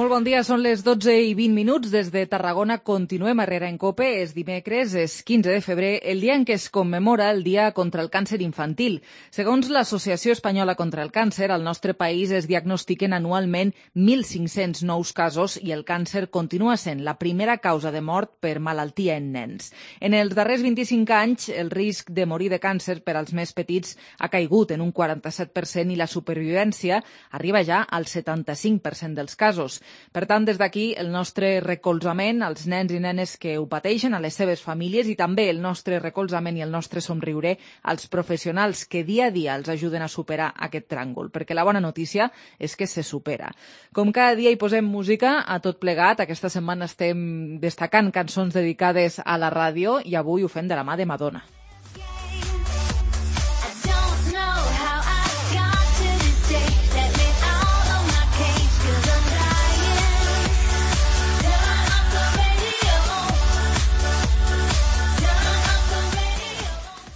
Molt bon dia, són les 12:20 des de Tarragona. Continuem a Herrera en Cope. És dimecres, és 15 de febrer, el dia en què es commemora el Dia contra el Càncer Infantil. Segons l'Associació Espanyola contra el Càncer, al nostre país es diagnostiquen anualment 1.500 nous casos i el càncer continua sent la primera causa de mort per malaltia en nens. En els darrers 25 anys, el risc de morir de càncer per als més petits ha caigut en un 47% i la supervivència arriba ja al 75% dels casos. Per tant, des d'aquí, el nostre recolzament als nens i nenes que ho pateixen, a les seves famílies, i també el nostre recolzament i el nostre somriure als professionals que dia a dia els ajuden a superar aquest tràngol, perquè la bona notícia és que se supera. Com cada dia hi posem música a tot plegat, aquesta setmana estem destacant cançons dedicades a la ràdio i avui ho fem de la mà de Madonna.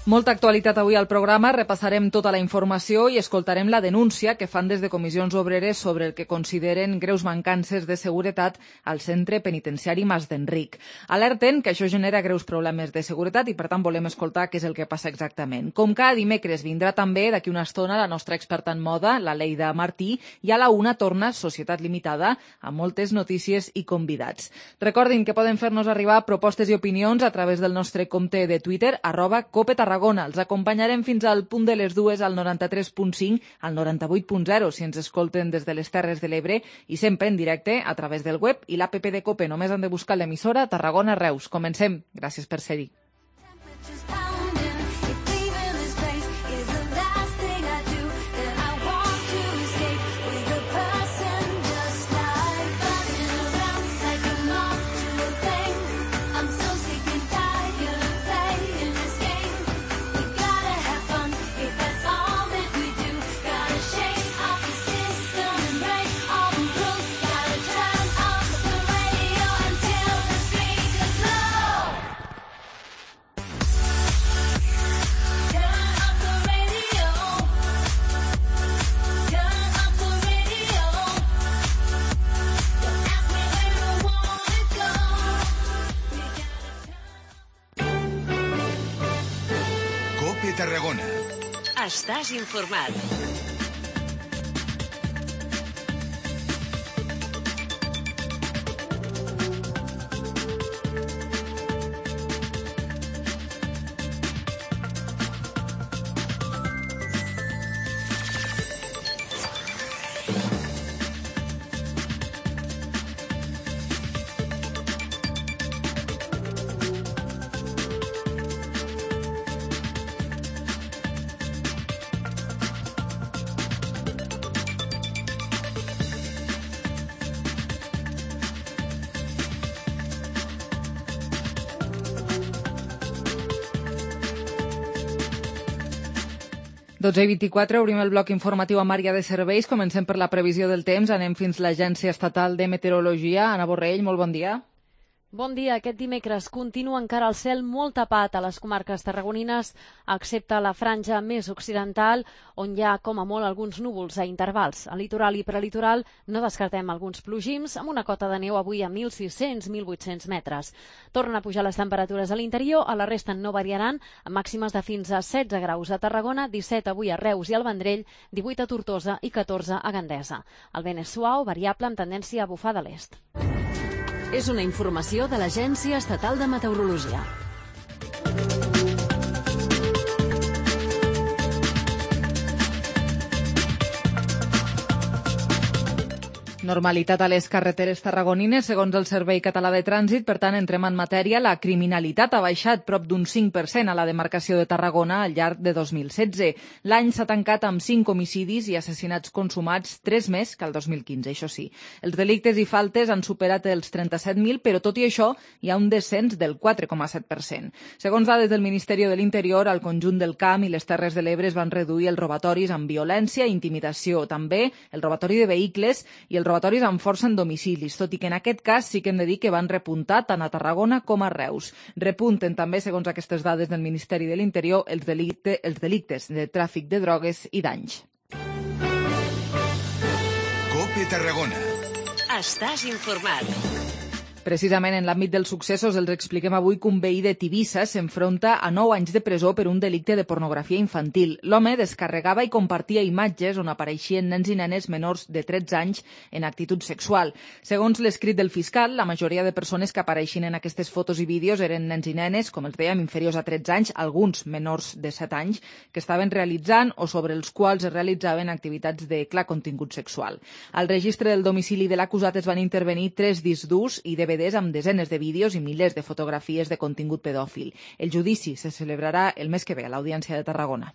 Molta actualitat avui al programa, repassarem tota la informació i escoltarem la denúncia que fan des de comissions obreres sobre el que consideren greus mancances de seguretat al centre penitenciari Mas d'Enric. Alerten que això genera greus problemes de seguretat i per tant volem escoltar què és el que passa exactament. Com cada dimecres vindrà també d'aquí una estona la nostra experta en moda, la Leida Martí, i a la una torna Societat Limitada amb moltes notícies i convidats. Recordin que poden fer-nos arribar propostes i opinions a través del nostre compte de Twitter, @CopeTarragona. Els acompanyarem fins al punt de les 2 al 93.5, al 98.0 si ens escolten des de les Terres de l'Ebre i sempre en directe a través del web i l'APP de Cope. Només han de buscar l'emissora Tarragona Reus. Comencem. Gràcies per ser-hi. Tarragona. Estàs informat. Dotze i 24, obrim el bloc informatiu amb àrea de serveis. Comencem per la previsió del temps. Anem fins a l'Agència Estatal de Meteorologia. Anna Borrell, molt bon dia. Bon dia. Aquest dimecres continua encara el cel molt tapat a les comarques tarragonines, excepte la franja més occidental, on hi ha com a molt alguns núvols a intervals. Al litoral i prelitoral no descartem alguns plogims, amb una cota de neu avui a 1.600-1.800 metres. Tornen a pujar les temperatures a l'interior, a la resta no variaran, amb màximes de fins a 16 graus a Tarragona, 17 avui a Reus i al Vendrell, 18 a Tortosa i 14 a Gandesa. El vent és suau, variable, amb tendència a bufar de l'est. És una informació de l'Agència Estatal de Meteorologia. Normalitat a les carreteres tarragonines, segons el Servei Català de Trànsit. Per tant, entrem en matèria. La criminalitat ha baixat prop d'un 5% a la demarcació de Tarragona al llarg de 2016. L'any s'ha tancat amb 5 homicidis i assassinats consumats, 3 més que el 2015, això sí. Els delictes i faltes han superat els 37.000, però tot i això hi ha un descens del 4,7%. Segons dades del Ministeri de l'Interior, al conjunt del Camp i les Terres de l'Ebre es van reduir els robatoris amb violència i intimidació, també el robatori de vehicles i el robatoris amb força en domicilis, tot i que en aquest cas sí que hem de dir que van repuntar tant a Tarragona com a Reus. Repunten també, segons aquestes dades del Ministeri de l'Interior, els delictes de tràfic de drogues i danys. COPE Tarragona. Estàs informat. Precisament en l'àmbit dels successos els expliquem avui que un veí de Tivissa s'enfronta a 9 anys de presó per un delicte de pornografia infantil. L'home descarregava i compartia imatges on apareixien nens i nenes menors de 13 anys en actitud sexual. Segons l'escrit del fiscal, la majoria de persones que apareixien en aquestes fotos i vídeos eren nens i nenes, com els dèiem, inferiors a 13 anys, alguns menors de 7 anys, que estaven realitzant o sobre els quals es realitzaven activitats de clar contingut sexual. Al registre del domicili de l'acusat es van intervenir 3 discs durs i DVDs amb desenes de vídeos i milers de fotografies de contingut pedòfil. El judici se celebrarà el mes que ve a l'Audiència de Tarragona.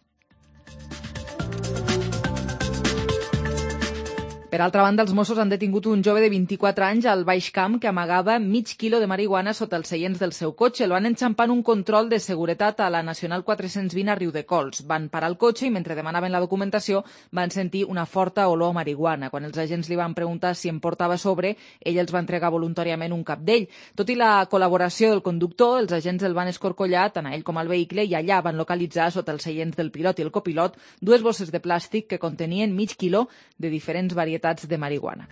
Per altra banda, els Mossos han detingut un jove de 24 anys al Baix Camp que amagava mig quilo de marihuana sota els seients del seu cotxe. El van enxampar en un control de seguretat a la Nacional 420 a Riudecols. Van parar el cotxe i mentre demanaven la documentació van sentir una forta olor a marihuana. Quan els agents li van preguntar si en portava a sobre, ell els va entregar voluntàriament un capdell. Tot i la col·laboració del conductor, els agents el van escorcollar tant a ell com al vehicle i allà van localitzar sota els seients del pilot i el copilot 2 bosses de plàstic que contenien mig quilo de diferents varietats de marihuana.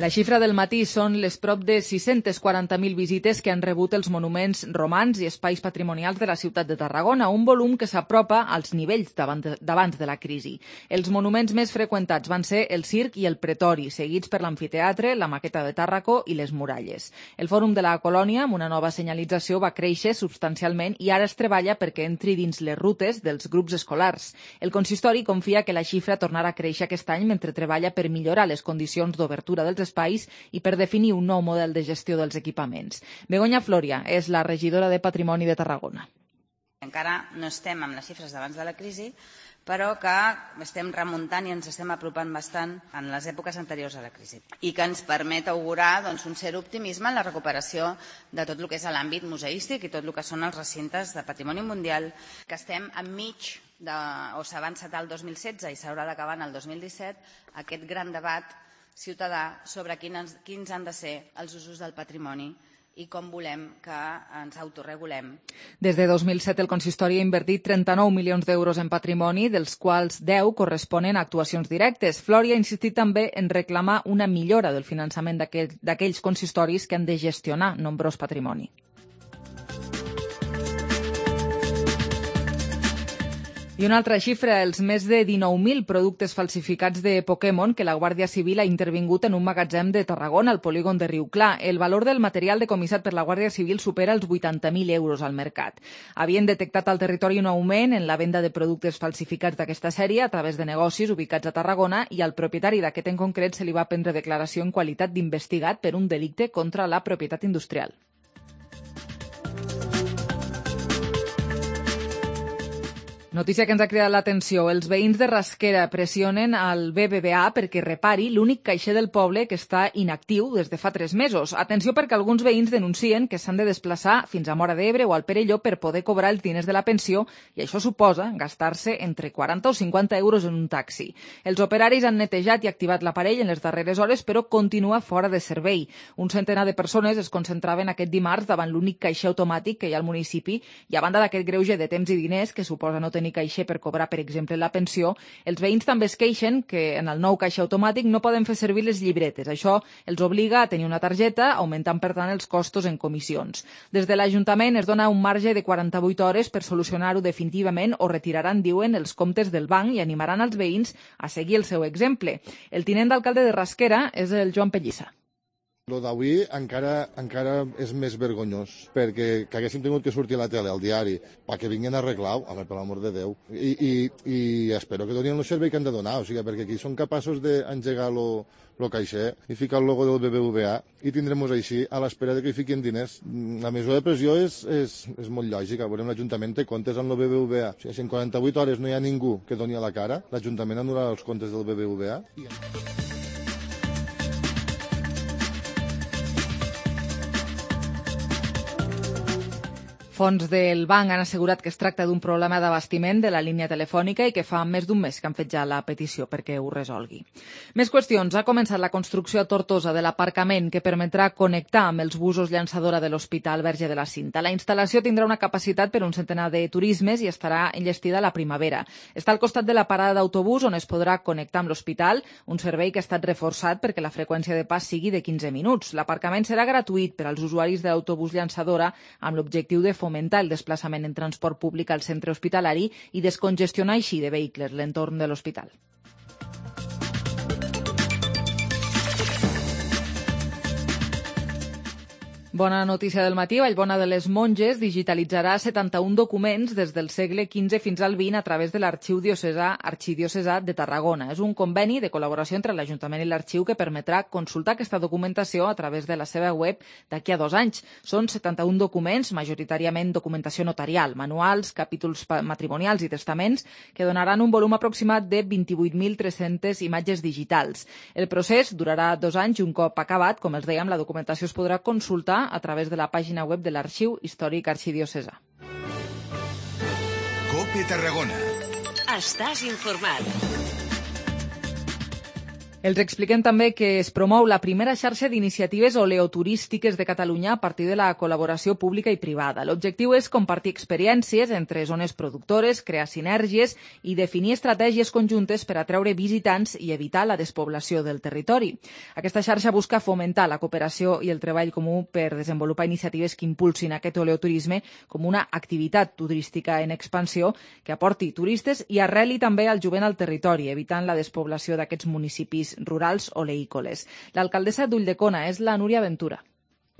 La xifra del matí són les prop de 640.000 visites que han rebut els monuments romans i espais patrimonials de la ciutat de Tarragona, un volum que s'apropa als nivells d'abans de la crisi. Els monuments més freqüentats van ser el Circ i el Pretori, seguits per l'Amfiteatre, la Maqueta de Tàrraco i les Muralles. El Fòrum de la Colònia, amb una nova senyalització, va créixer substancialment i ara es treballa perquè entri dins les rutes dels grups escolars. El consistori confia que la xifra tornarà a créixer aquest any mentre treballa per millorar les condicions d'obertura dels espais i per definir un nou model de gestió dels equipaments. Begoña Floria és la regidora de Patrimoni de Tarragona. Encara no estem amb les xifres d'abans de la crisi, però que estem remuntant i ens estem apropant bastant en les èpoques anteriors a la crisi i que ens permet augurar un cert optimisme en la recuperació de tot el que és l'àmbit museístic i tot el que són els recintes de patrimoni mundial, que estem enmig o s'ha avançat al 2016 i s'haurà d'acabar en el 2017 aquest gran debat ciutadà sobre quins han de ser els usos del patrimoni i com volem que ens autorregulem. Des de 2007 el consistori ha invertit 39 milions d'euros en patrimoni, dels quals 10 corresponen a actuacions directes. Floria ha insistit també en reclamar una millora del finançament d'aquells consistoris que han de gestionar nombrós patrimoni. I una altra xifra, els més de 19.000 productes falsificats de Pokémon que la Guàrdia Civil ha intervingut en un magatzem de Tarragona, al polígon de Riuclar. El valor del material decomissat per la Guàrdia Civil supera els 80.000 euros al mercat. Havien detectat al territori un augment en la venda de productes falsificats d'aquesta sèrie a través de negocis ubicats a Tarragona i al propietari d'aquest en concret se li va prendre declaració en qualitat d'investigat per un delicte contra la propietat industrial. Notícia que ens ha cridat l'atenció. Els veïns de Rasquera pressionen al BBVA perquè repari l'únic caixer del poble que està inactiu des de fa 3 mesos. Atenció perquè alguns veïns denuncien que s'han de desplaçar fins a Móra d'Ebre o al Perelló per poder cobrar els diners de la pensió i això suposa gastar-se entre 40 o 50 euros en un taxi. Els operaris han netejat i activat l'aparell en les darreres hores però continua fora de servei. Un centenar de persones es concentraven aquest dimarts davant l'únic caixer automàtic que hi ha al municipi i a banda d'aquest greuge de temps i diners que suposa no tenir caixer per cobrar, per exemple, la pensió, els veïns també es queixen que en el nou caixer automàtic no poden fer servir les llibretes. Això els obliga a tenir una targeta, augmentant, per tant, els costos en comissions. Des de l'Ajuntament es dona un marge de 48 hores per solucionar-ho definitivament o retiraran, diuen, els comptes del banc i animaran els veïns a seguir el seu exemple. El tinent d'alcalde de Rasquera és el Joan Pellissa. Lo d'avui encara és més vergonyós, perquè que haguéssim tingut que sortir a la tele, al diari, perquè vinguin a arreglar-ho, home, per l'amor de Déu. I espero que donin el servei que han de donar, o sigui, perquè aquí són capaços d'engegar el caixer i ficar el logo del BBVA i tindrem-nos així a l'espera de que hi fiquin diners. La mesura de pressió és molt lògica. Veurem, l'Ajuntament té comptes amb el BBVA. O sigui, si en 48 hores no hi ha ningú que doni a la cara, l'Ajuntament anul·larà els comptes del BBVA. Fonts del banc han assegurat que es tracta d'un problema d'abastiment de la línia telefònica i que fa més d'un mes que han fet ja la petició perquè ho resolgui. Més qüestions. Ha començat la construcció a Tortosa de l'aparcament que permetrà connectar amb els busos llançadora de l'Hospital Verge de la Cinta. La instal·lació tindrà una capacitat per un centenar de turismes i estarà enllestida a la primavera. Està al costat de la parada d'autobús on es podrà connectar amb l'hospital, un servei que ha estat reforçat perquè la freqüència de pas sigui de 15 minuts. L'aparcament serà gratuït per als usuaris de l'autobús llançadora amb l'objectiu de fomentar el desplaçament en transport públic al centre hospitalari i descongestionar així de vehicles l'entorn de l'hospital. Bona notícia del matí. Vallbona de les Monges digitalitzarà 71 documents des del segle XV fins al XX a través de l'Arxiu Arxidiocesà de Tarragona. És un conveni de col·laboració entre l'Ajuntament i l'Arxiu que permetrà consultar aquesta documentació a través de la seva web d'aquí a 2 anys. Són 71 documents, majoritàriament documentació notarial, manuals, capítols matrimonials i testaments, que donaran un volum aproximat de 28.300 imatges digitals. El procés durarà 2 anys i un cop acabat, com els dèiem, la documentació es podrà consultar a través de la pàgina web de l'Arxiu Històric Arxidiocesà. COPE Tarragona. Estàs informat. Els expliquem també que es promou la primera xarxa d'iniciatives oleoturístiques de Catalunya a partir de la col·laboració pública i privada. L'objectiu és compartir experiències entre zones productores, crear sinergies i definir estratègies conjuntes per atreure visitants i evitar la despoblació del territori. Aquesta xarxa busca fomentar la cooperació i el treball comú per desenvolupar iniciatives que impulsin aquest oleoturisme com una activitat turística en expansió que aporti turistes i arreli també al jovent al territori, evitant la despoblació d'aquests municipis rurals oleícoles. L'alcaldessa d'Ulldecona és la Núria Ventura.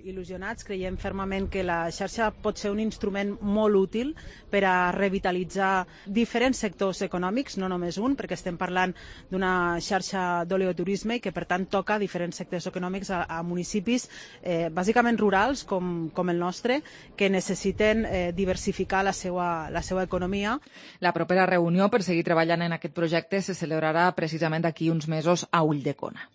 Il·lusionats, creiem fermament que la xarxa pot ser un instrument molt útil per a revitalitzar diferents sectors econòmics, no només un, perquè estem parlant d'una xarxa d'oleoturisme i que per tant toca diferents sectors econòmics a municipis bàsicament rurals com el nostre, que necessiten diversificar la seva economia. La propera reunió per seguir treballant en aquest projecte se celebrarà precisament d'aquí uns mesos a Ulldecona.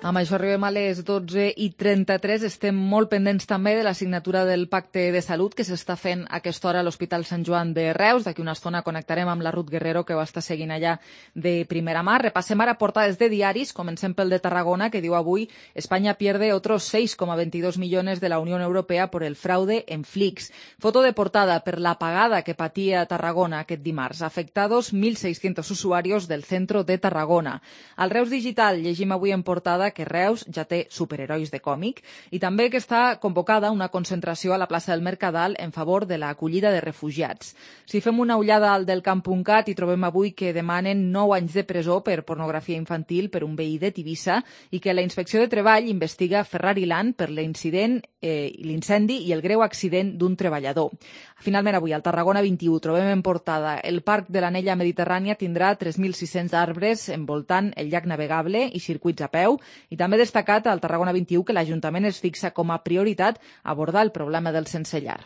Amb això arribem a les 12:33. Estem molt pendents també de la signatura del Pacte de Salut que s'està fent a aquesta hora a l'Hospital Sant Joan de Reus. D'aquí una estona connectarem amb la Ruth Guerrero, que ho està seguint allà de primera mà. Repassem ara portades de diaris. Comencem pel de Tarragona, que diu avui España pierde otros 6,22 millones de la Unión Europea por el fraude en Flix. Foto de portada per l'apagada que patia Tarragona aquest dimarts. Afectados 1.600 usuarios del centro de Tarragona. Al Reus Digital llegim avui en portada que Reus ja té superherois de còmic i també que està convocada una concentració a la plaça del Mercadal en favor de l'acollida de refugiats. Si fem una ullada al delcamp.cat hi trobem avui que demanen 9 anys de presó per pornografia infantil per un veí de Tivissa i que la Inspecció de Treball investiga Ferrari Land per l'incendi i el greu accident d'un treballador. Finalment avui al Tarragona 21 trobem en portada el Parc de l'Anella Mediterrània tindrà 3.600 arbres envoltant el llac navegable i circuits a peu. I també destacat al Tarragona 21 que l'Ajuntament es fixa com a prioritat abordar el problema del sense llar.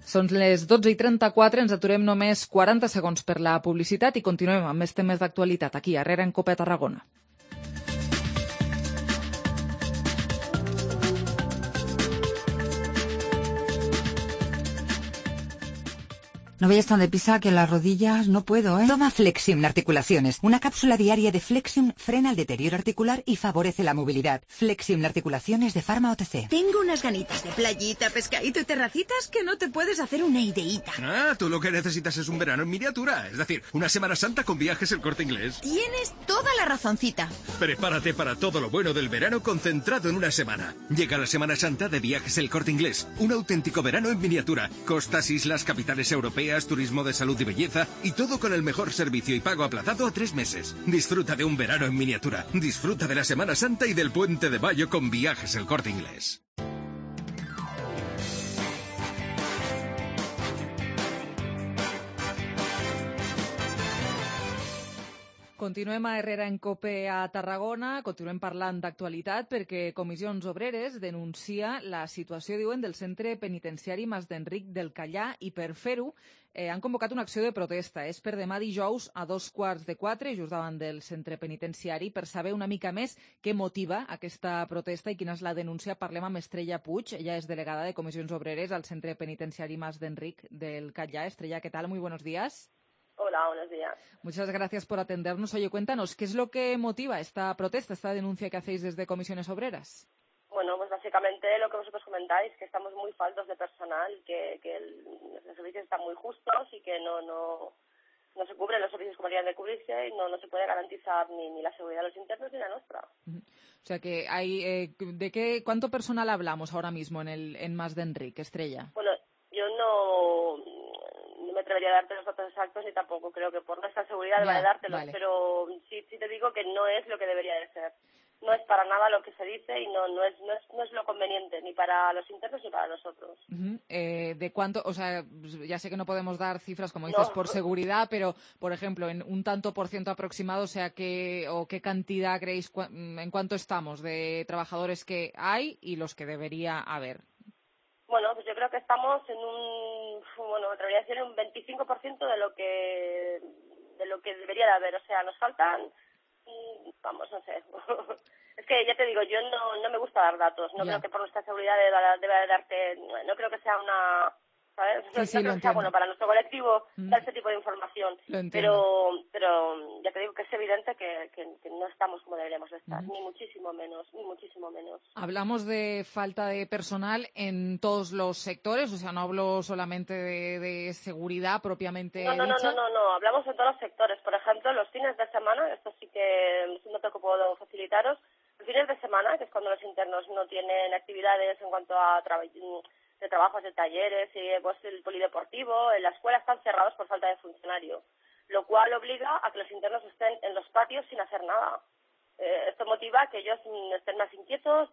Són les 12:34, ens aturem només 40 segons per la publicitat i continuem amb més temes d'actualitat aquí, a Herrera en COPE Tarragona. No vayas tan deprisa que las rodillas no puedo, ¿eh? Toma Flexium Articulaciones. Una cápsula diaria de Flexium frena el deterioro articular y favorece la movilidad. Flexium Articulaciones de Pharma OTC. Tengo unas ganitas de playita, pescadito y terracitas que no te puedes hacer una ideíta. Ah, tú lo que necesitas es un verano en miniatura. Es decir, una Semana Santa con Viajes El Corte Inglés. Tienes toda la razoncita. Prepárate para todo lo bueno del verano concentrado en una semana. Llega la Semana Santa de Viajes El Corte Inglés. Un auténtico verano en miniatura. Costas, islas, capitales europeas, turismo de salud y belleza y todo con el mejor servicio y pago aplazado a 3 meses. Disfruta de un verano en miniatura. Disfruta de la Semana Santa y del Puente de Mayo con Viajes El Corte Inglés. Continuem a Herrera en COPE a Tarragona, continuem parlant d'actualitat perquè Comissions Obreres denuncia la situació, diuen, del centre penitenciari Mas d'Enric del Callà i per fer-ho han convocat una acció de protesta. És per demà dijous a 3:15, just davant del centre penitenciari. Per saber una mica més què motiva aquesta protesta i quina és la denúncia, parlem amb Estrella Puig. Ella és delegada de Comissions Obreres al centre penitenciari Mas d'Enric del Callà. Estrella, ¿qué tal? Muy buenos días. Hola, buenos días. Muchas gracias por atendernos. Oye, cuéntanos, ¿qué es lo que motiva esta protesta, esta denuncia que hacéis desde Comisiones Obreras? Bueno, pues básicamente lo que vosotros comentáis, que estamos muy faltos de personal, que los servicios están muy justos y que no se cubren los servicios como deberían de cubrirse y no se puede garantizar ni la seguridad de los internos ni la nuestra. O sea que hay, ¿cuánto personal hablamos ahora mismo en Mas d'Enric, Estrella? Bueno, yo no me atrevería a darte los datos exactos y tampoco creo que por nuestra seguridad deba de dártelos, vale. Pero sí te digo que no es lo que debería de ser. No es para nada lo que se dice y no es lo conveniente, ni para los internos ni para nosotros. ¿De cuánto? O sea, ya sé que no podemos dar cifras, como dices, por seguridad, pero, por ejemplo, en un tanto por ciento aproximado, o sea, ¿qué cantidad creéis, en cuánto estamos de trabajadores que hay y los que debería haber? Bueno, pues yo creo que estamos en me atrevería a decir un 25% de lo que debería de haber. O sea, nos faltan, no sé. Es que ya te digo, yo no me gusta dar datos. No creo que por nuestra seguridad deba de darte, no creo que sea una, ¿sabes? Sí, no creo que sea bueno para nuestro colectivo dar ese tipo de información. Pero ya te digo que es evidente que no estamos como deberíamos estar, ni muchísimo menos. Hablamos de falta de personal en todos los sectores, o sea, no hablo solamente de seguridad propiamente dicha. No, hablamos en todos los sectores. Por ejemplo, los fines de semana, esto sí que no te puedo facilitaros, los fines de semana, que es cuando los internos no tienen actividades en cuanto a de trabajos, de talleres, y pues el polideportivo, en la escuela están cerrados por falta de funcionario, lo cual obliga a que los internos estén en los patios sin hacer nada. Esto motiva a que ellos estén más inquietos,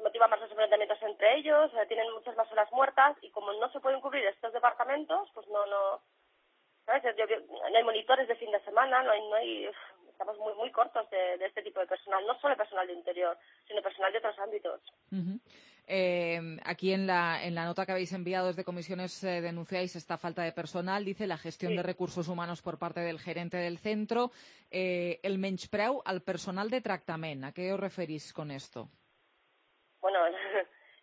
motiva más los enfrentamientos entre ellos, tienen muchas más horas muertas y como no se pueden cubrir estos departamentos, pues no ¿sabes? No hay monitores de fin de semana, estamos muy cortos de este tipo de personal, no solo personal de interior, sino personal de otros ámbitos. Aquí en la nota que habéis enviado desde Comisiones denunciáis esta falta de personal, dice la gestión de recursos humanos por parte del gerente del centro, el menyspreu al personal de tractament. ¿A qué os referís con esto? Bueno,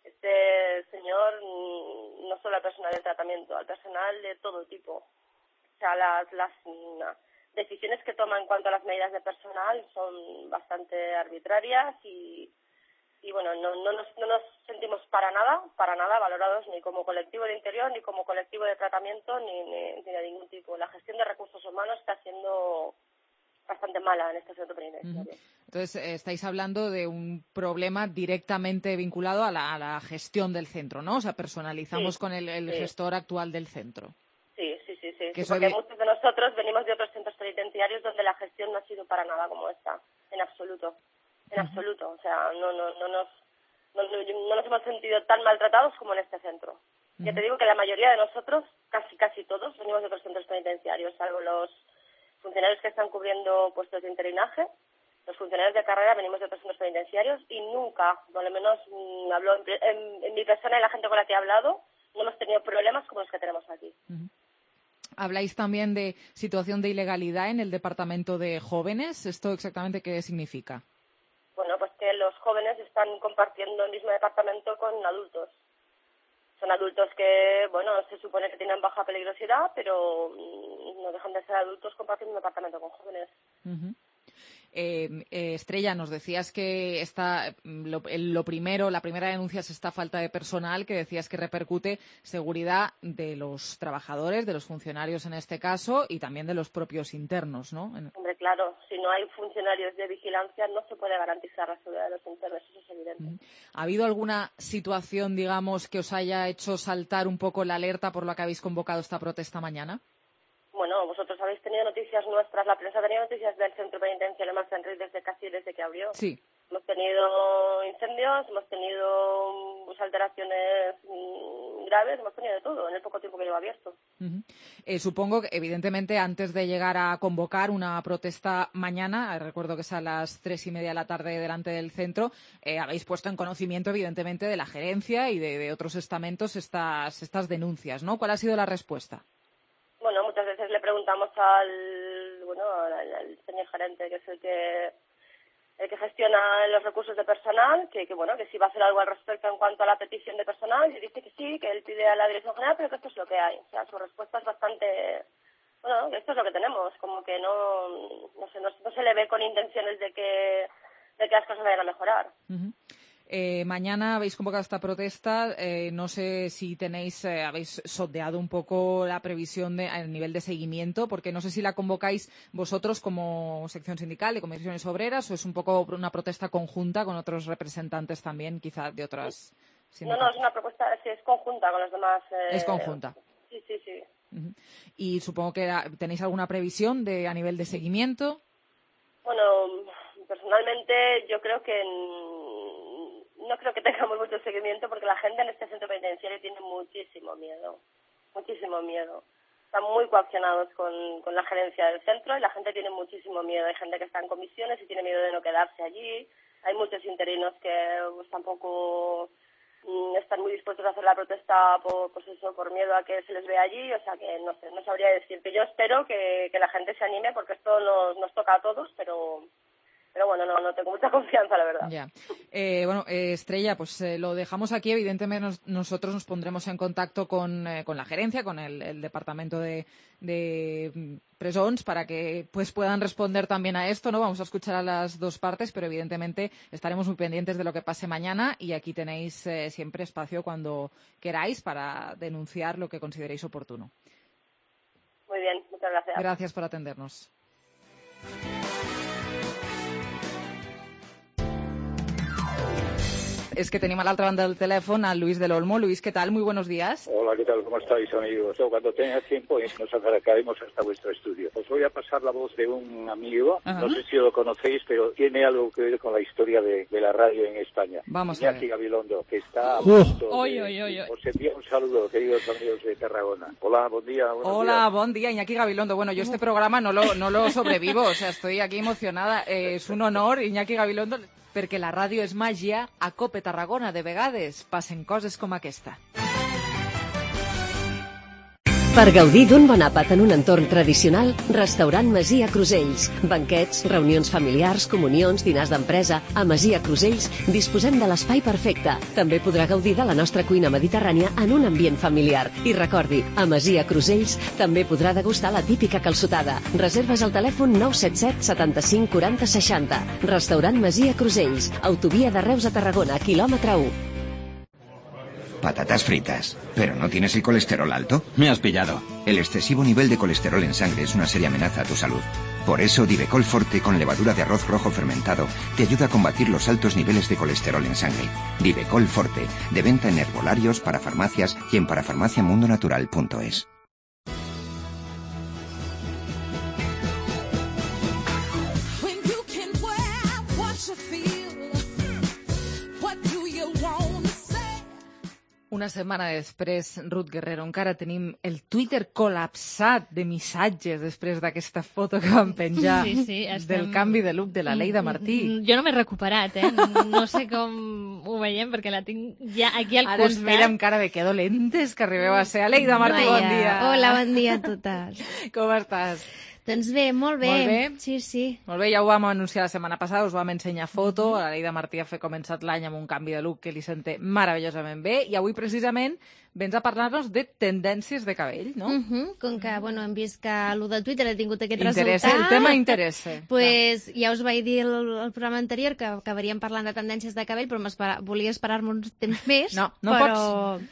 este señor no solo al personal de tratamiento, al personal de todo tipo. O sea, las decisiones que toma en cuanto a las medidas de personal son bastante arbitrarias y bueno, no nos sentimos para nada valorados ni como colectivo de interior, ni como colectivo de tratamiento, ni de ningún tipo. La gestión de recursos humanos está siendo bastante mala en este centro penitenciario. Entonces, estáis hablando de un problema directamente vinculado a la gestión del centro, ¿no? O sea, personalizamos con el gestor actual del centro. Sí, porque muchos de nosotros venimos de otros centros penitenciarios donde la gestión no ha sido para nada como esta, en absoluto. O sea, no nos hemos sentido tan maltratados como en este centro. Ya te digo que la mayoría de nosotros, casi todos, venimos de otros centros penitenciarios, salvo los funcionarios que están cubriendo puestos de interinaje. Los funcionarios de carrera venimos de otros centros penitenciarios y nunca, por lo menos hablo en mi persona y la gente con la que he hablado, no hemos tenido problemas como los que tenemos aquí. Habláis también de situación de ilegalidad en el departamento de jóvenes. ¿Esto exactamente qué significa? Bueno, pues que los jóvenes están compartiendo el mismo departamento con adultos. Son adultos que, bueno, se supone que tienen baja peligrosidad, pero no dejan de ser adultos compartiendo un departamento con jóvenes. Estrella, nos decías que la primera denuncia es esta falta de personal, que decías que repercute seguridad de los trabajadores, de los funcionarios en este caso, y también de los propios internos, ¿no? Hombre, claro, si no hay funcionarios de vigilancia no se puede garantizar la seguridad de los internos, eso es evidente. ¿Ha habido alguna situación, digamos, que os haya hecho saltar un poco la alerta por la que habéis convocado esta protesta mañana? Bueno, vosotros habéis tenido noticias nuestras, la prensa ha tenido noticias del centro penitenciario Mas d'Enric desde que abrió. Sí. Hemos tenido incendios, hemos tenido alteraciones graves, hemos tenido de todo en el poco tiempo que lleva abierto. Supongo que, evidentemente, antes de llegar a convocar una protesta mañana, recuerdo que es a las 3:30 de la tarde delante del centro, habéis puesto en conocimiento, evidentemente, de la gerencia y de otros estamentos estas denuncias, ¿no? ¿Cuál ha sido la respuesta? Bueno, muchas veces le preguntamos al señor gerente, que es el que gestiona los recursos de personal, que si va a hacer algo al respecto en cuanto a la petición de personal, y dice que sí, que él pide a la dirección general, pero que esto es lo que hay. O sea, su respuesta es bastante, esto es lo que tenemos, como que no se le ve con intenciones de que las cosas vayan a mejorar. Mañana habéis convocado esta protesta. No sé si habéis sondeado un poco la previsión a nivel de seguimiento, porque no sé si la convocáis vosotros como sección sindical de comisiones obreras o es un poco una protesta conjunta con otros representantes también, quizá de otras sindicatos. No, es una propuesta, sí, es conjunta con los demás. Es conjunta. Sí. Y supongo que tenéis alguna previsión a nivel de seguimiento. Bueno, personalmente yo creo que no creo que tengamos mucho seguimiento porque la gente en este centro penitenciario tiene muchísimo miedo. Están muy coaccionados con la gerencia del centro y la gente tiene muchísimo miedo. Hay gente que está en comisiones y tiene miedo de no quedarse allí. Hay muchos interinos que tampoco están muy dispuestos a hacer la protesta por miedo a que se les vea allí. O sea que no sé, no sabría decirte. Yo espero que la gente se anime porque esto nos toca a todos, pero bueno, no tengo mucha confianza, la verdad. Ya. Estrella, pues lo dejamos aquí. Evidentemente nosotros nos pondremos en contacto con la gerencia, con el departamento de presons, para que pues puedan responder también a esto, ¿no? Vamos a escuchar a las dos partes, pero evidentemente estaremos muy pendientes de lo que pase mañana y aquí tenéis siempre espacio cuando queráis para denunciar lo que consideréis oportuno. Muy bien, muchas gracias. Gracias por atendernos. Es que tenemos a la otra banda del teléfono a Luis del Olmo. Luis, ¿qué tal? Muy buenos días. Hola, ¿qué tal? ¿Cómo estáis, amigos? Cuando tenga tiempo nos acercaremos hasta vuestro estudio. Os voy a pasar la voz de un amigo, no sé si lo conocéis, pero tiene algo que ver con la historia de la radio en España. Vamos a ver. Iñaki Gabilondo, que está a punto de... Os envío un saludo, queridos amigos de Tarragona. Hola, buen día. Hola, buen día, Iñaki Gabilondo. Bueno, yo este programa no lo sobrevivo, o sea, estoy aquí emocionada. Es un honor, Iñaki Gabilondo, perquè la ràdio és màgia, a Cope Tarragona de vegades passen coses com aquesta. Per gaudir d'un bon àpat en un entorn tradicional, Restaurant Masia Crusells. Banquets, reunions familiars, comunions, dinars d'empresa. A Masia Crusells disposem de l'espai perfecte. També podrà gaudir de la nostra cuina mediterrània en un ambient familiar. I recordi, a Masia Crusells també podrà degustar la típica calçotada. Reserves al telèfon 977 75 40 60. Restaurant Masia Crusells. Autovia de Reus a Tarragona, quilòmetre 1. Patatas fritas. ¿Pero no tienes el colesterol alto? Me has pillado. El excesivo nivel de colesterol en sangre es una seria amenaza a tu salud. Por eso Divecol Forte con levadura de arroz rojo fermentado te ayuda a combatir los altos niveles de colesterol en sangre. Divecol Forte, de venta en herbolarios, para farmacias y en parafarmaciamundonatural.es. Una setmana després, Ruth Guerrero, encara tenim el Twitter col·lapsat de missatges després d'aquesta foto que vam penjar del canvi de look de la Leida Martí. Jo no m'he recuperat, no sé com ho veiem perquè la tinc ja aquí al costat. Ara ens mira amb cara de que dolentes que arribeu a ser. Leida Martí, bon dia. Hola, bon dia a totes. Com estàs? Doncs bé, molt bé. Molt bé? Sí. Molt bé, ja ho vam anunciar la setmana passada, us vam ensenyar foto. La Leida Martí ha començat l'any amb un canvi de look que li senta meravellosament bé i avui precisament vens a parlar-nos de tendències de cabell, no? Com que, hem vist que el de Twitter ha tingut aquest resultat... El tema interessa. Pues ja us vaig dir el programa anterior que acabaríem parlant de tendències de cabell, però volia esperar-me un temps més. No pots...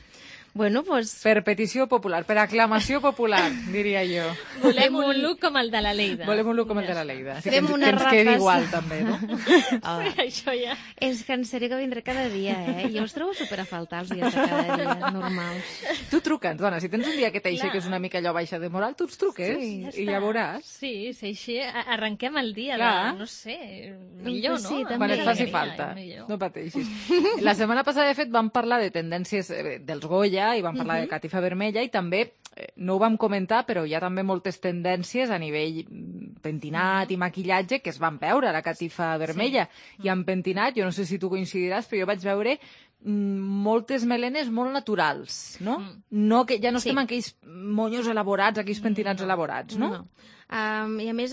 Bueno, pues... Per petició popular, per aclamació popular, diria jo. Volem un look com el de la Leida. Volem un look com el de la Leida. Fem una repassa. Que ens quedi igual, també, no? Això ja... És que en sèrio que vindré cada dia, Jo els trobo super a faltar els dies de cada dia, normals. Tu truca'ns, dona, si tens un dia que t'aixeques una mica allò baixa de moral, tu ens truques i ja veuràs. Sí, així arrenquem el dia, no sé, millor, no? Sí, quan et faci falta, no pateixis. La setmana passada, de fet, vam parlar de tendències dels Goya, vermella, i vam parlar de catifa vermella, i també, no ho vam comentar, però hi ha també moltes tendències a nivell pentinat i maquillatge que es van veure a la catifa vermella. I en pentinat, jo no sé si tu coincidiràs, però jo vaig veure moltes melenes molt naturals, no? Ja no estem en aquells monyos elaborats, aquells pentinats elaborats, no? I a més,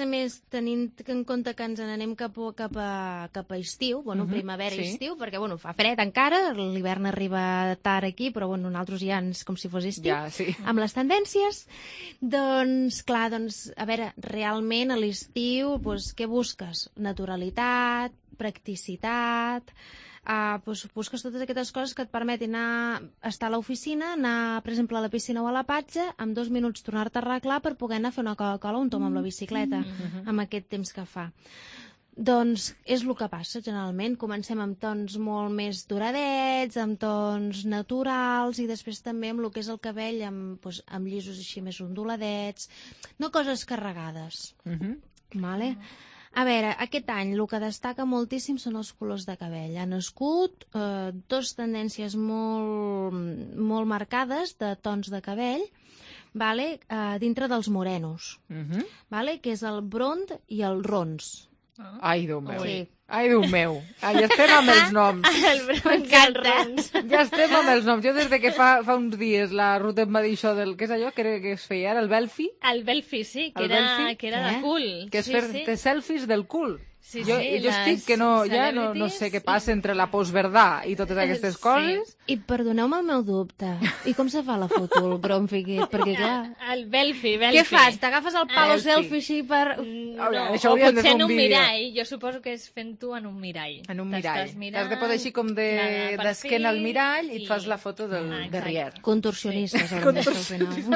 tenint en compte que ens n'anem cap a estiu, primavera i estiu, perquè fa fred encara, l'hivern arriba tard aquí, però nosaltres ja com si fos estiu, amb les tendències, doncs, clar, a veure, realment a l'estiu, què busques? Naturalitat, practicitat, busques totes aquestes coses que et permetin estar a l'oficina, anar, per exemple, a la piscina o a la platja, en 2 minuts tornar-te a arreglar per poder anar a fer una Coca-Cola o un tom amb la bicicleta, amb aquest temps que fa. Doncs és el que passa, generalment. Comencem amb tons molt més doradets, amb tons naturals, i després també amb el que és el cabell, amb llisos així més onduladets, no coses carregades. Vale? A veure, aquest any el que destaca moltíssim són els colors de cabell. Han nascut 2 tendències molt marcades de tons de cabell, dintre dels morenos, que és el brond i el rons. Ai, Déu meu. Ai, Déu meu. Ja estem amb els noms. M'encanta. Ja estem amb els noms. Jo des que fa uns dies la Ruth em va dir això del... Què és allò que es feia ara? El Belfi? El Belfi, sí, que era de cul. Que és fer selfies del cul. Jo estic que no sé què passa entre la postverdà i totes aquestes coses. I perdoneu-me el meu dubte. I com se fa la foto, el bronfi aquest? Perquè clar... El Belfi. Què fas? T'agafes el palo selfie així per... No, o potser en un mirall. Jo suposo que és fent-ho en un mirall. En un mirall. T'has de posar així com d'esquena al mirall i et fas la foto del derrier. Contorsionistes.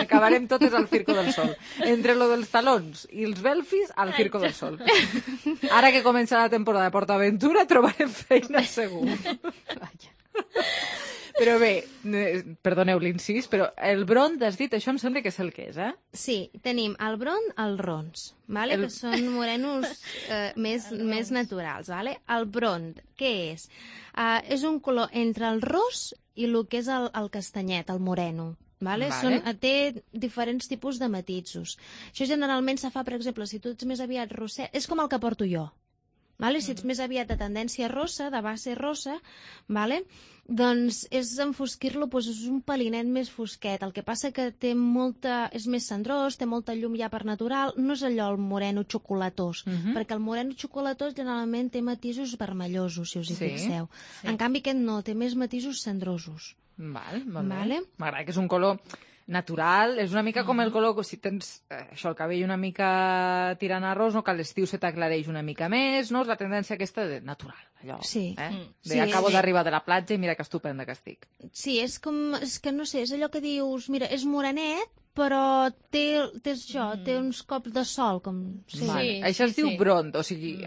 Acabarem totes al Circo del Sol. Entre lo dels talons i els Belfis, al Circo del Sol. Ara que comença la temporada de PortAventura trobarem feina segur. Però bé, perdoneu l'incís, però el brond, has dit, això em sembla que és el que és, eh? Sí, tenim el brond, els rons, que són morenos més naturals. El brond, què és? És un color entre el ros i el que és el castanyet, el moreno. Té diferents tipus de matisos. Això generalment se fa, per exemple, si tu ets més aviat rosset, és com el que porto jo. Si ets més aviat de tendència rossa, de base rossa, doncs és enfosquir-lo, és un pelinet més fosquet. El que passa que és més cendrós, té molta llum ja per natural, no és allò el moreno xocolatós, perquè el moreno xocolatós generalment té matisos vermellosos, si us hi fixeu. En canvi aquest no, té més matisos cendrosos. M'agrada que és un color natural, és una mica com el color, si tens el cabell una mica tirant a ros, que a l'estiu se t'aclareix una mica més, no? És la tendència aquesta de natural, allò. Acabo d'arribar de la platja i mira que estupenda que estic. Sí, és que no sé, és allò que dius, mira, és morenet, però té uns cops de sol, com... Això es diu brond, o sigui,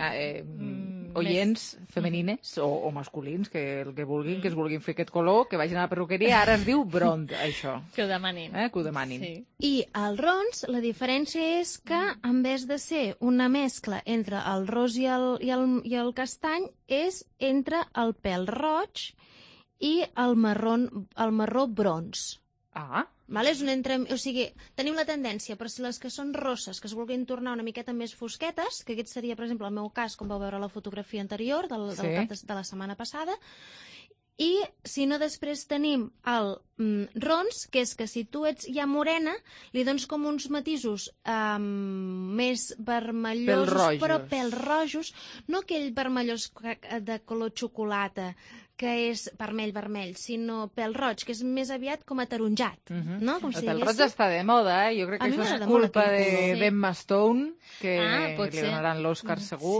oients femenines o masculins, que el que vulguin, que es vulguin fer aquest color, que vagin a la perruqueria, ara es diu brond, això. Que ho demanin. Que ho demanin. I el rons, la diferència és que, en vez de ser una mescla entre el ros i el castany, és entre el pèl roig i el marró brons. O sigui, tenim la tendència per si les que són rosses, que es vulguin tornar una miqueta més fosquetes, que aquest seria, per exemple, el meu cas, com vau veure la fotografia anterior de la setmana passada, i si no, després tenim el rons, que és que si tu ets ja morena, li dones com uns matisos més vermellosos, però pèl rojos, no aquell vermellós de color xocolata, que és vermell, sinó pèl roig, que és més aviat com ataronjat, no? El pèl roig està de moda, Jo crec que això és culpa d'Emma Stone, que li donaran l'Oscar segur,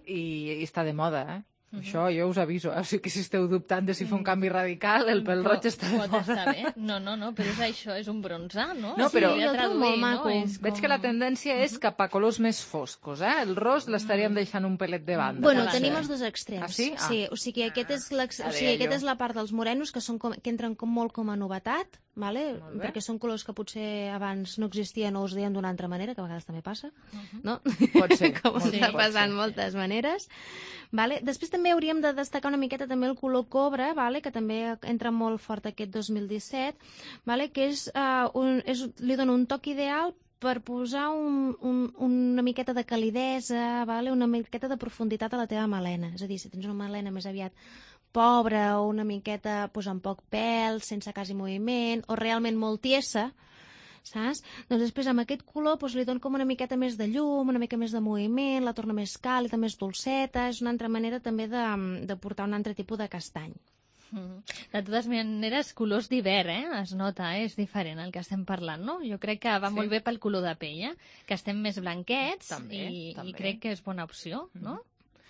i està de moda, Això jo us aviso, o sigui que si esteu dubtant de si fa un canvi radical, el pèl roig està de moda. Pot estar bé. No, però és això, és un bronzar, no? No, però jo trobo molt maco. Veig que la tendència és cap a colors més foscos, El ros l'estaríem deixant un pelet de banda. Bueno, tenim els dos extrems. Ah, sí? Sí, o sigui, aquest és la part dels morenos que entren molt com a novetat, vale? Perquè són colors que potser abans no existien o es deien d'una altra manera, que a vegades també passa, no? Pot ser. Com està passant moltes maneres. Vale? Després també hauríem de destacar una miqueta també el color cobre, vale? Que també entra molt fort aquest 2017, vale? Que li dona un toc ideal per posar una miqueta de calidesa, vale? Una miqueta de profunditat a la teva melena. És a dir, si tens una melena més aviat pobra o una miqueta amb poc pèl, sense quasi moviment, o realment molt tiesa, saps? Doncs després amb aquest color li dona com una miqueta més de llum, una mica més de moviment, la torna més càlida, més dolceta, és una altra manera també de portar un altre tipus de castany. De totes maneres, colors d'hivern, es nota, és diferent el que estem parlant, no? Jo crec que va molt bé pel color de pell, que estem més blanquets i crec que és bona opció, no?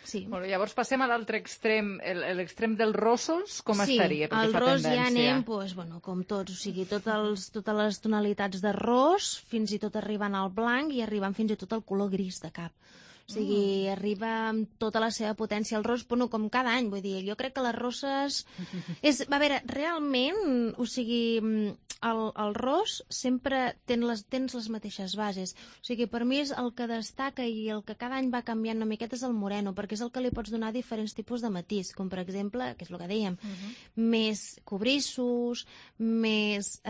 Sí. Molt bé, llavors passem a l'altre extrem, l'extrem dels rossos, com estaria? Sí, el ros ja anem, com tots, o sigui, totes les tonalitats de ros, fins i tot arribant al blanc i arribant fins i tot al color gris de cap. O sigui, arriba amb tota la seva potència el ros, com cada any, vull dir, jo crec que les rosses... A veure, realment, o sigui, el ros sempre tens les mateixes bases. O sigui, per mi és el que destaca i el que cada any va canviant una miqueta és el moreno, perquè és el que li pots donar diferents tipus de matís, com per exemple, que és el que dèiem, més cobrissos, més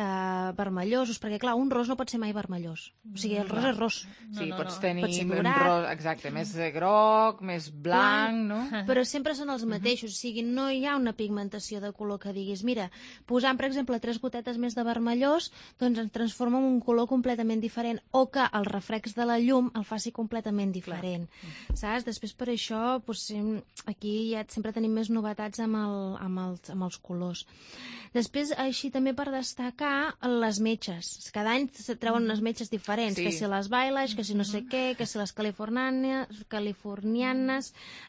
vermellosos, perquè clar, un ros no pot ser mai vermellós. O sigui, el ros és ros. Sí, pots tenir un ros, exacte, més groc, més blanc, no? Però sempre són els mateixos, o sigui, no hi ha una pigmentació de color que diguis, mira, posant, per exemple, 3 gotetes més de vermellós, doncs ens transforma en un color completament diferent, o que el reflex de la llum el faci completament diferent, saps? Després, per això, aquí ja sempre tenim més novetats amb els colors. Després, així també per destacar les metges. Cada any se treuen unes metges diferents, que si les Bailage, que si no sé què, que si les californianes,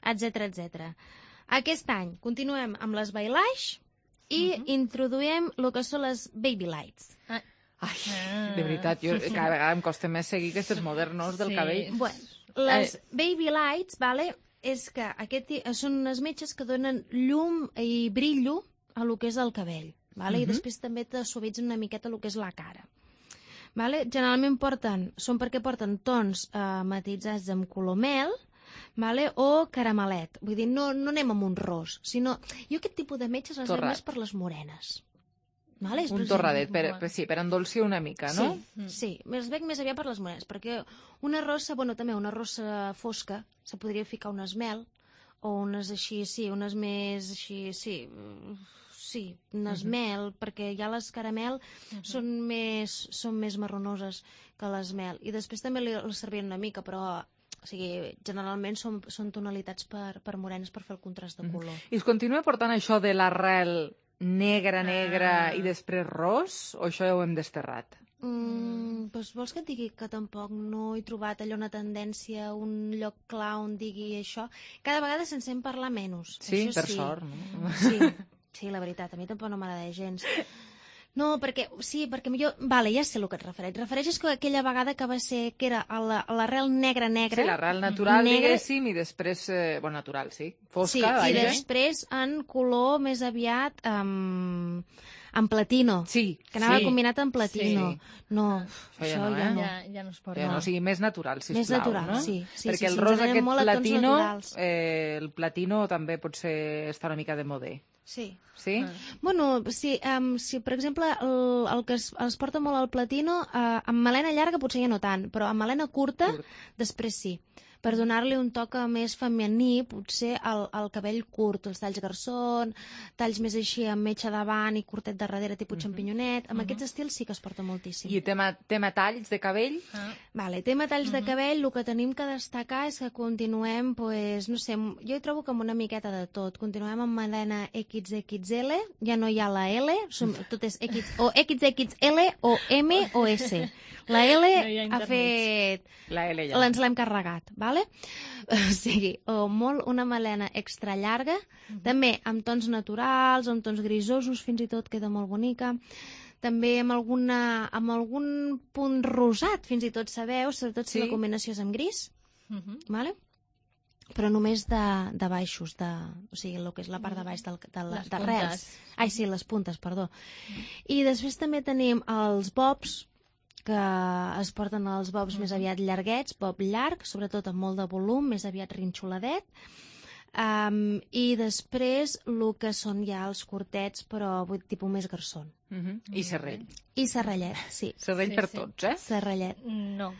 etc. Aquest any continuem amb les Bailage i introduïm el que són les Baby Lights. Ai, de veritat, cada vegada em costa més seguir aquests modernos del cabell. Les Baby Lights, és que són unes metges que donen llum i brillo a lo que és el cabell, i després també te suavitzen una miqueta el que és la cara. Generalment són perquè porten tons matitzats amb color mel o caramelet. Vull dir, no anem amb un ros, sinó... Jo aquest tipus de metges les veig més per les morenes. Un torradet, per endolcir una mica, no? Sí, els veig més aviat per les morenes, perquè una rossa, també una rossa fosca, se podria ficar unes mel, o unes així, unes més així, unes mel, perquè ja les caramel són més marronoses que les mel. I després també les servien una mica, però generalment són tonalitats per morenes per fer el contrast de color. I es continua portant això de l'arrel negra i després ros, o això ja ho hem desterrat? Vols que et digui que tampoc no he trobat allò una tendència, un lloc clar on digui això? Cada vegada se'n sent parlar menys. Sí, per sort, no? Sí, la veritat, a mi tampoc no m'agrada gens. No, perquè jo... ja sé el que et refereixes que aquella vegada que va ser, que era l'arrel negra. Sí, l'arrel natural, diguéssim, i després... natural, sí, fosca. Sí, i després en color més aviat en platino. Sí. Que anava combinat amb platino. No, això ja no. Ja no es pot. O sigui, més natural, sisplau. Més natural, sí. Perquè el ros aquest platino, el platino també pot estar una mica de modé. Sí. Sí? Si per exemple el que es porta molt al platino, amb melena llarga potser ja no tant, però amb melena curta, després sí. Per donar-li un toc més femení, potser el cabell curt, els talls garçon, talls més així amb metxa davant i curtet de darrere, tipus xampinyonet. Amb aquests estils sí que es porta moltíssim. I tema talls de cabell? Tema talls de cabell, el que tenim que destacar és que continuem, no sé, jo trobo com una miqueta de tot. Continuem amb melena XXL, ja no hi ha la L, tot és o XXL o M o S. La L ha fet... La L ja. Ens l'hem carregat, vale? O sigui, una melena extra llarga, també amb tons naturals, amb tons grisosos, fins i tot queda molt bonica. També amb algun punt rosat, fins i tot sabeu, sobretot si la combinació és amb gris, vale? però només de baixos, o sigui, el que és la part de baix de rels. Ai, sí, les puntes, perdó. I després també tenim els bobs, que es porten els bobs més aviat llarguets, bob llarg, sobretot amb molt de volum, més aviat rinxoladet. I després el que són ja els curtets, però tipus més garçon. I serrell. I serrellet, sí. Serrell per tots, eh? Serrellet. No,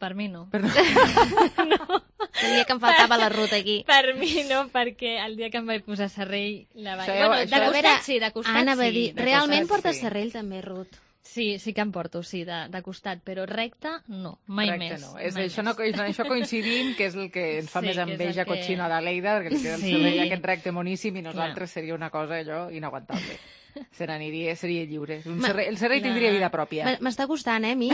per mi no. No. El dia que em faltava la ruta aquí. Per mi no, perquè el dia que em vaig posar serrell la vaig... Bueno, de costat sí, de costat sí. Anava a dir, realment portes serrell també, Ruth? Sí que em porto, sí, de costat, però recte no, mai més. Això coincidim, que és el que ens fa més enveja cotxina de Lleida, perquè li queda el servei aquest recte moníssim i nosaltres seria una cosa allò inaguantable. Se n'aniria, seria lliure. El servei tindria vida pròpia. M'està costant, a mi?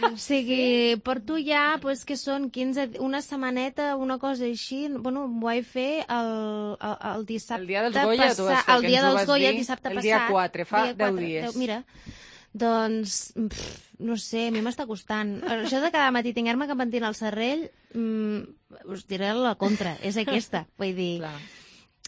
O sigui, porto ja, que són 15, una setmaneta, una cosa així. Bueno, ho vaig fer el dissabte passat. El dia dels Goya, tu vas fer, el dia dels Goya, dissabte passat. El dia 4, fa 10 dies. Mira, doncs, no sé, a mi m'està costant. Això de cada matí tinguer-me que pentinar el serrell, us diré la contra, és aquesta. Vull dir...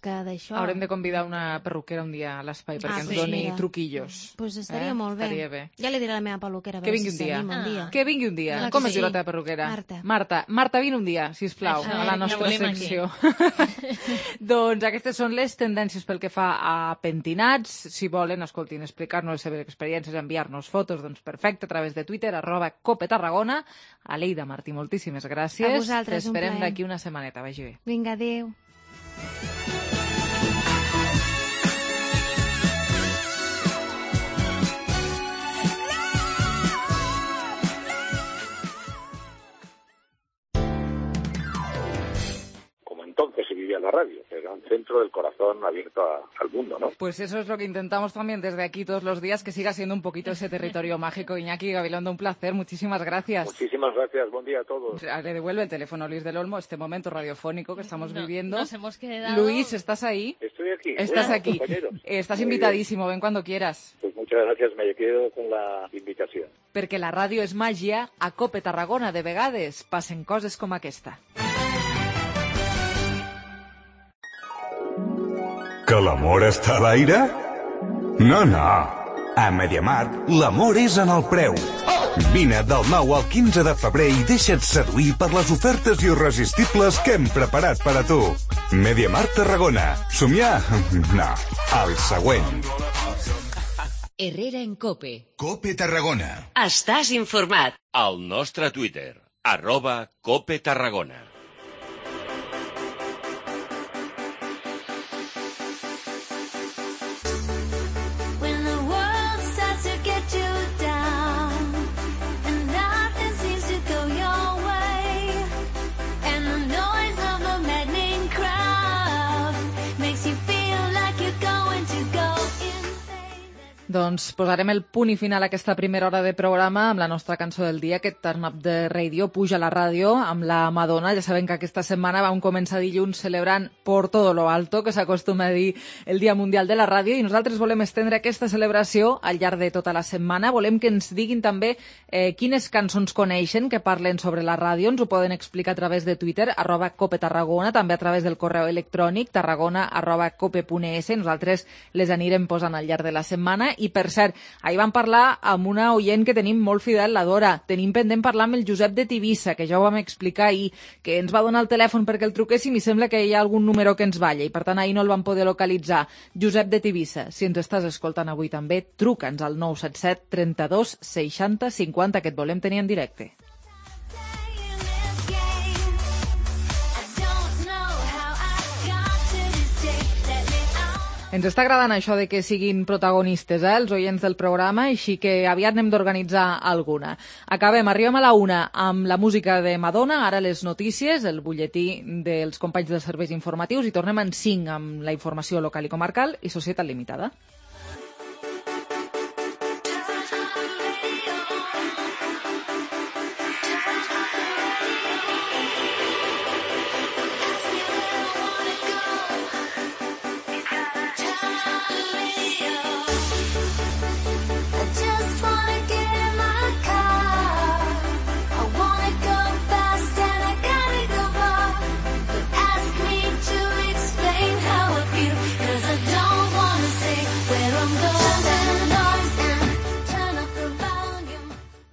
que d'això... Haurem de convidar una perruquera un dia a l'espai perquè ens doni truquillos. Doncs estaria molt bé. Ja li diré a la meva perruquera. Que vingui un dia. Que vingui un dia. Com es diu la teva perruquera? Marta, vine un dia, sisplau, a la nostra secció. Doncs aquestes són les tendències pel que fa a pentinats. Si volen, escoltin, explicar-nos les seves experiències, enviar-nos fotos, doncs perfecte, a través de Twitter, @copetarragona. Aleida Martí, moltíssimes gràcies. A vosaltres, un plaer. T'esperem d'aquí una setmaneta. Vagi bé. Vinga, adéu. Entonces se vivía la radio, era un centro del corazón abierto al mundo, ¿no? Pues eso es lo que intentamos también desde aquí todos los días, que siga siendo un poquito ese territorio mágico. Iñaki Gabilondo, un placer, muchísimas gracias. Muchísimas gracias, buen día a todos. Le devuelve el teléfono a Luis del Olmo, este momento radiofónico que estamos viviendo. Nos hemos quedado... Luis, ¿estás ahí? Estoy aquí. Estás aquí. Estás invitadísimo, ven cuando quieras. Pues muchas gracias, me quedo con la invitación. Perquè la ràdio és màgia, a Cope Tarragona de vegades passen coses com aquesta. Que l'amor està a l'aire? No. A MediaMarkt, l'amor és en el preu. Vine del 9 al 15 de febrer i deixa't seduir per les ofertes irresistibles que hem preparat per a tu. MediaMarkt Tarragona. Somiar? No. El següent. Herrera en Cope. Cope Tarragona. Estàs informat. Al nostre Twitter, @CopeTarragona. Doncs posarem el punt i final a aquesta primera hora de programa amb la nostra cançó del dia, aquest Turn Up the Radio, Puja la ràdio, amb la Madonna. Ja sabem que aquesta setmana vam començar dilluns celebrant por todo lo alto, que s'acostuma a dir el Dia Mundial de la Ràdio, i nosaltres volem estendre aquesta celebració al llarg de tota la setmana. Volem que ens diguin també quines cançons coneixen que parlen sobre la ràdio. Ens ho poden explicar a través de Twitter, @copetarragona, també a través del correu electrònic tarragona@cope.es. Nosaltres les anirem posant al llarg de la setmana. I, per cert, ahir vam parlar amb una oient que tenim molt fidel, la Dora. Tenim pendent parlar amb el Josep de Tivissa, que ja ho vam explicar ahir, que ens va donar el telèfon perquè el truquéssim i sembla que hi ha algun número que ens balla i, per tant, ahir no el vam poder localitzar. Josep de Tivissa, si ens estàs escoltant avui també, truca'ns al 977 32 60 50, que et volem tenir en directe. Ens està agradant això de que siguin protagonistes, els oients del programa, així que aviat n'hem d'organitzar alguna. Arribem a la 1 amb la música de Madonna, ara les notícies, el butlletí dels companys dels serveis informatius, i tornem en 5 amb la informació local i comarcal i Societat Limitada.